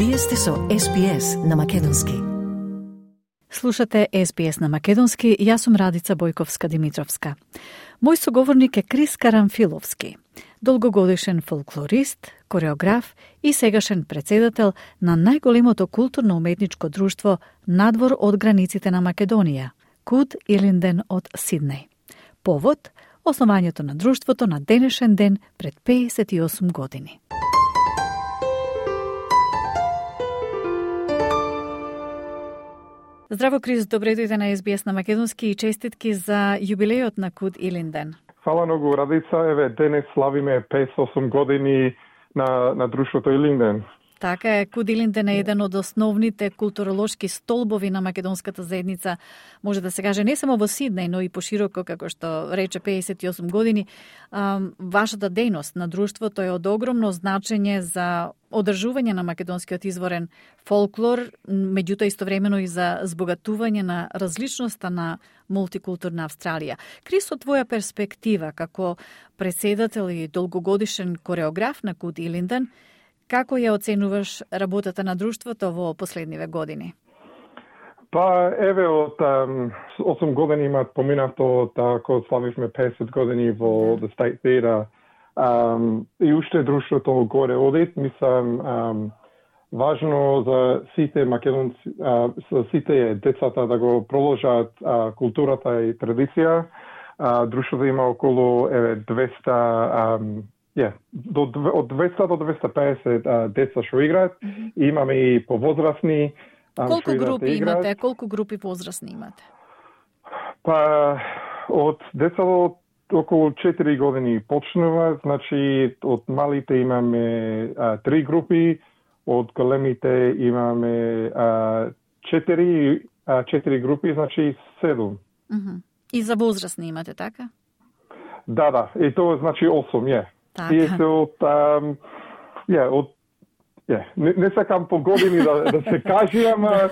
Вие сте со SBS на Македонски. Слушате SBS на Македонски, јас сум Радица Бојковска-Димитровска. Мој соговорник е Крис Карамфиловски, долгогодишен фолклорист, кореограф и сегашен председател на најголемото културно-уметничко друштво надвор од границите на Македонија, Куд Илинден од Сиднеј. Повод – основањето на друштвото на денешен ден пред 58 години. Здраво, Крис, добре дојде на SBS на Македонски и честитки за јубилејот на Куд Илинден. Фала многу, Радица. Еве, денес славиме 58 години на друштвото Илинден. Така е, Куд Илинден е еден од основните културолошки столбови на македонската заедница. Може да се каже не само во Сиднеј, но и пошироко, како што рече 58 години. Вашата дејност на друштвото е од огромно значење за одржување на македонскиот изворен фолклор, меѓутоа истовремено и за збогатување на различноста на мултикултурна Австралија. Крис, од твоја перспектива, како председател и долгогодишен кореограф на Куд Илинден, како ја оценуваш работата на друштвото во последниве години? Па, еве, од 8 години имат поминато, кога славивме 50 години во The State Theatre. И уште друштвото горе одит, мислам, важно за сите македонци, за сите децата да го проложат културата и традиција. Друштвото има околу 200 од 200 до 250 деца што играат. Имаме и повозрасни. Колку групи имате? Колку групи возрастни имате? Па, од деца до околу 4 години почнува, значи од малите имаме 3 групи, од големите имаме 4 групи, значи 7. И за возрастни имате, така? Да, и тоа значи 8, Тие се не сакам по години да се кажи, ама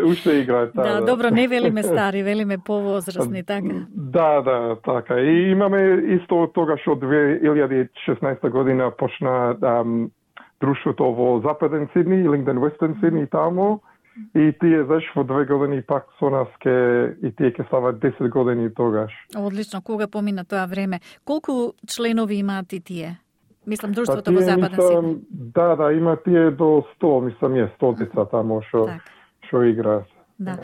уште играат. Да, добро, не велиме стари, велиме повозрастни, така? Да, така. И имаме исто тогаш од 2016 година почна друштвото во Западен Сидни, Илинден Вестен Сидни таму. И тие во 2 години пак со нас и тие ќе стават 10 години тогаш. Одлично, кога помина тоа време. Колку членови имаат и тие? Мислам, друштвото во Западен Сидни. Да, има тие до 100, мислам, 100 деца таму што играат. Да.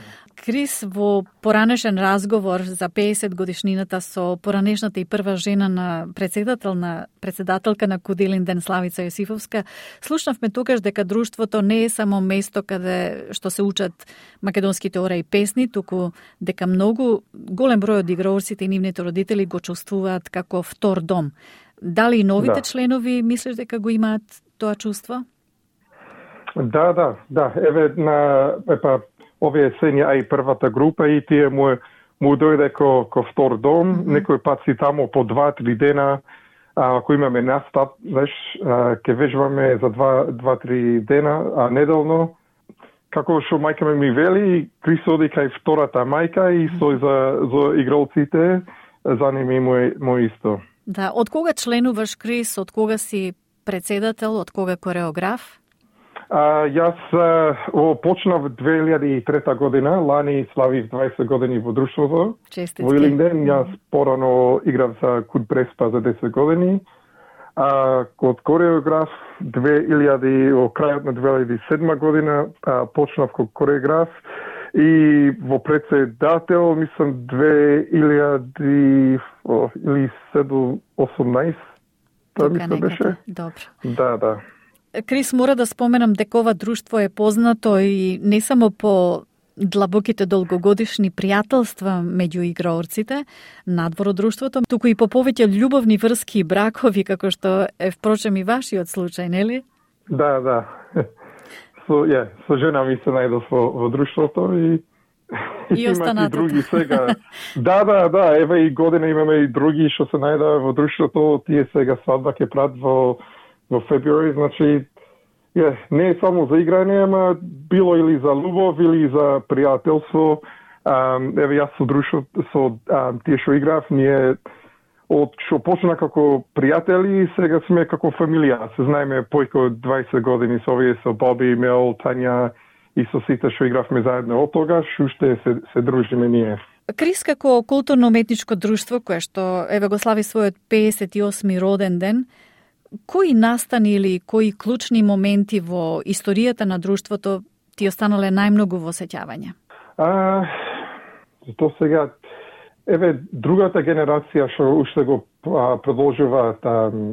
Крис, во поранешен разговор за 50 годишнината со поранешната и прва жена на председателка на Куд Илинден Славица Јосифовска, слушнавме тогаш дека друштвото не е само место каде што се учат македонските ора и песни, туку дека многу голем број од играорците и нивните родители го чувствуваат како втор дом. Дали и новите членови мислиш дека го имаат тоа чувство? Да. Еве овие сења и првата група и тие му дојде ко втор дом. Некој пат си тамо по 2-3 дена, ако имаме настап, ќе вежбаме за 2-3 дена неделно. Како што мајка ми вели, Крис оди кај втората мајка и за игралците за ними му исто. Да, од кога членуваш, Крис? Од кога си председател? Од кога кореограф? Јас почнав 2003 година, лани славив 20 години во друштвото. Честитки. Во Илинден, јас порано играв за Куд Преспа за 10 години. Код кореограф во крајот на 2007 година почнав како кореограф и во председател, мислам 2018. Тоа мислам беше. Добро. Да. Крис, мора да споменам дека ова друштво е познато и не само по длабоките долгогодишни пријателства меѓу играорците надвор од друштвото, туку и по повеќе љубовни врски и бракови, како што е впрочем и вашиот случај, нели? Да. Со жена ми се најдов во друштвото и останатото. И други сега. Да, еве и година имаме и други што се најдоа во друштвото, тие сега свадба ќе прават во февруари, значи не е само за играње, ама било или за љубов, или за пријателство. Еве јас со друштвото, со тие што играв, ние од што почна како пријатели, сега сме како фамилија. Се знаеме појко 20 години со овие, со Боби, Мел, Тања и со сите што игравме заедно од тогаш, уште се дружиме ние. Крис, како културно-уметничко друштво, кое што еве го слави својот 58-ми роден ден, кои настани или кои клучни моменти во историјата на друштвото ти останале најмногу во сеќавање? Тоа сега, еве, другата генерација што уште го продолжуваат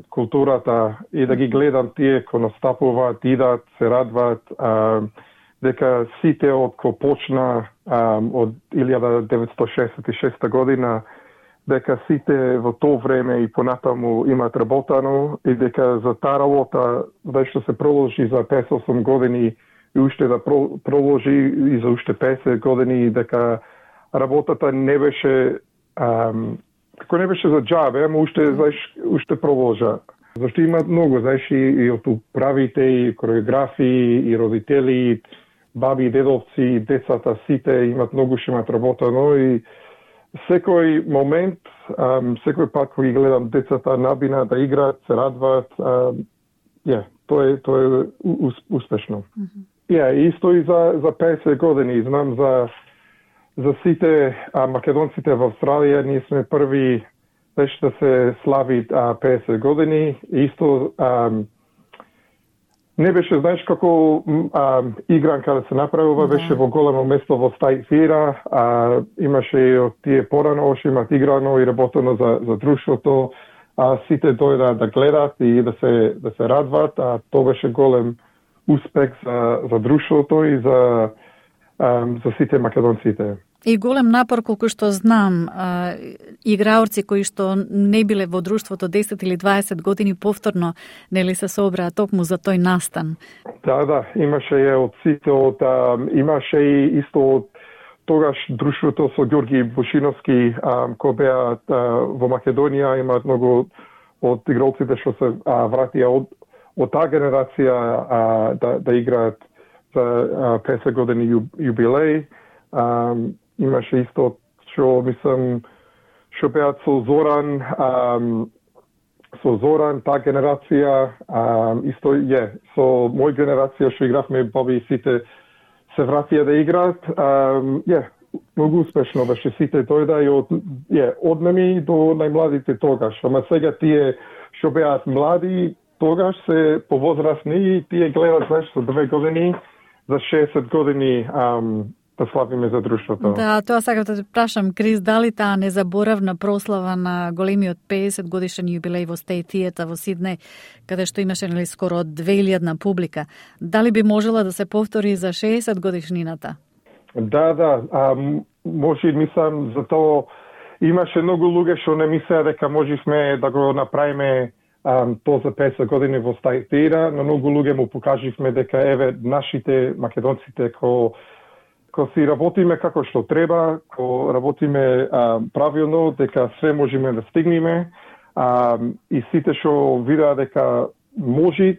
културата и да ги гледам тие кои настапуваат, идат, се радваат, дека сите од кој почна од 1966 година, дека сите во тоа време и понатаму имаат работано и дека за таа работа, што се продолжи за 58 години и уште да продолжи и за уште 50 години, дека работата не беше како не беше за џабе, ама уште продолжа. Зашто имаат многу, и од управите, и кореографии, и родители, баби, дедовци, децата, сите имаат многу што имаат работено и секој момент, секој пат кога ги гледам децата набина да играат, се радваат, тоа е успешно. Исто и за 50 години, знам за сите македонците во Австралија, ние сме први да се слави 50 години. Исто не беше, знаеш, како игранка да се направува, беше во големо место во State Theatre, имаше и од тие порано, што имат играно и работено за друштвото, сите дојдат да гледат и да се радват, тоа беше голем успех за друштвото и за сите македонците. И голем напор, колку што знам, играорци кои што не биле во друштвото 10 или 20 години повторно, нели се собраа токму за тој настан? Да, имаше и од сите, имаше и исто од тогаш друштвото со Ѓорги Бушиновски, кој беа во Македонија, имаат многу од игралците што се вратија од таа генерација да играат за 50 години јубилеј. Имаше исто што мислам што беат со Зоран таа генерација, исто со мој генерација што игравме Боби и сите се вратија да играат. Многу успешно беше, сите дојда и од нами до најмладите тогаш. Ама сега тие што беат млади тогаш се повозрасни и тие гледат за 2 години, за 60 години да славиме за друштвото. Да, тоа сакам да те прашам, Крис, дали таа незаборавна прослава на големиот 50 годишен јубилеј во State Theatre во Сиднеј, каде што имаше скоро 2000 публика, дали би можела да се повтори за 60 годишнината? Да, може, мислам, за тоа имаше многу луѓе што не мислеа дека можевме да го направиме тоа за 50 години во State Theatre, но многу луѓе му покаживме дека еве нашите македонците ко си работиме како што треба, ко работиме правилно, дека све можеме да стигнеме, и сите што видеа дека може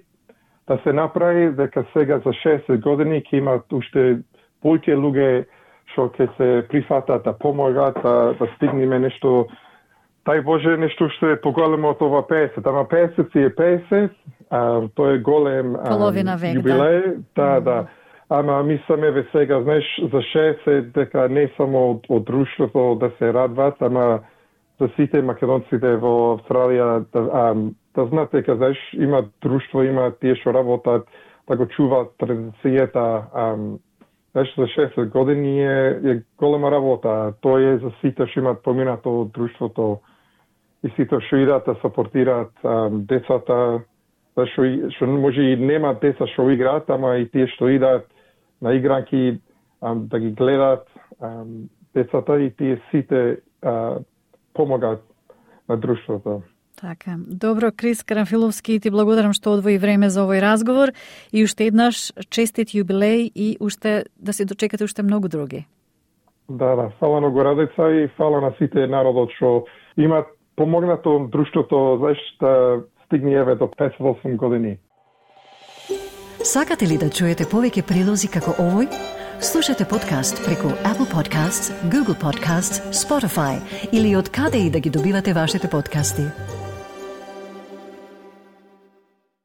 да се направи, дека сега за 60 години ќе имат уште повеќе луѓе што ќе се прифатат да помогат да стигнеме нешто, тај Боже, нешто што е поголемо од ова 50. Ама 50 си е 50, тоа е голем јубилеј. Да. Ама мислам еве сега, знаеш, за 60 дека не само од друштвото да се радват, ама за сите македонците во Австралија да знаат дека, знаеш, има друштво, има тие што работат, да го чуваат традицијата. Знаеш, за 60 години е голема работа. Тоа е за сите што имаат поминато од друштвото и сите што идат да сапортираат децата, што може и нема деца што играат, ама и тие што идат на игранки да ги гледат децата и тие сите помагаат на друштвото. Така. Добро, Крис Карамфиловски, ти благодарам што одвои време за овој разговор и уште еднаш честит јубилеј и уште да се дочекате уште многу други. Да, фала на Горадеца и фала на сите народот што имат помогнато друштвото, знаеш, да стигне еве до 58 години. Сакате ли да чуете повеќе прилози како овој? Слушате подкаст преку Apple Podcasts, Google Podcasts, Spotify или од каде и да ги добивате вашите подкасти.